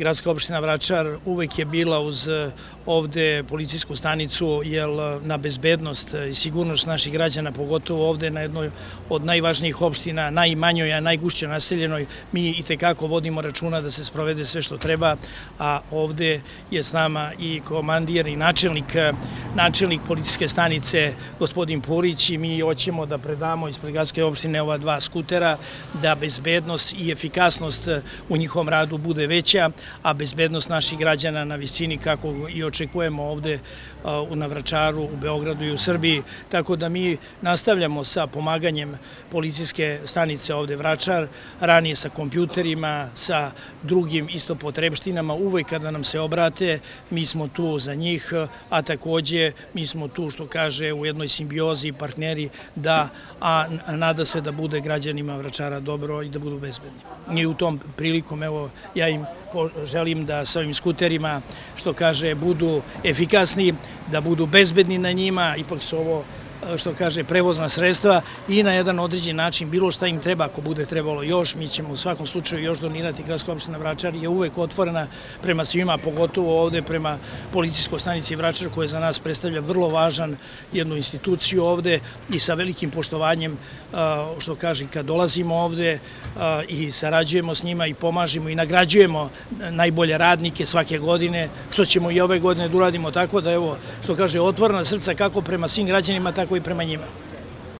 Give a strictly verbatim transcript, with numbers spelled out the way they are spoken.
Gradska opština Vračar uvek je bila uz ovde policijsku stanicu, jer na bezbednost i sigurnost naših građana, pogotovo ovde na jednoj od najvažnijih opština, najmanjoj, a najgušće naseljenoj, mi i tekako vodimo računa da se sprovede sve što treba, a ovde je s nama i komandir i načelnik, načelnik policijske stanice, gospodin Purić, i mi hoćemo da predamo ispred Gradske opštine ova dva skutera, da bezbednost i efikasnost u njihovom radu bude veća, a bezbednost naših građana na visini kako i očekujemo ovde na Vračaru, u Beogradu i u Srbiji. Tako da mi nastavljamo sa pomaganjem policijske stanice ovde Vračar, ranije sa kompjuterima, sa drugim isto potrebštinama. Uvek kada nam se obrate, mi smo tu za njih, a takođe mi smo tu, što kaže, u jednoj simbiozi i partneri, da, a nada se da bude građanima Vračara dobro i da budu bezbedni. I u tom prilikom, evo, ja im želim da sa ovim skuterima, što kaže, budu efikasni, da budu bezbedni na njima, ipak su ovo, što kaže, prevozna sredstva i na jedan određen način bilo šta im treba, ako bude trebalo još, mi ćemo u svakom slučaju još donirati. Gradska opština Vračar je uvek otvorena prema svima, pogotovo ovde prema policijskoj stanici Vračar, koja za nas predstavlja vrlo važan jednu instituciju ovde, i sa velikim poštovanjem, što kaže, kad dolazimo ovde i sarađujemo s njima i pomažemo i nagrađujemo najbolje radnike svake godine, što ćemo i ove godine da uradimo, tako da, evo, što kaže, otvorena srca kako prema svim građanima, tako i prema njima.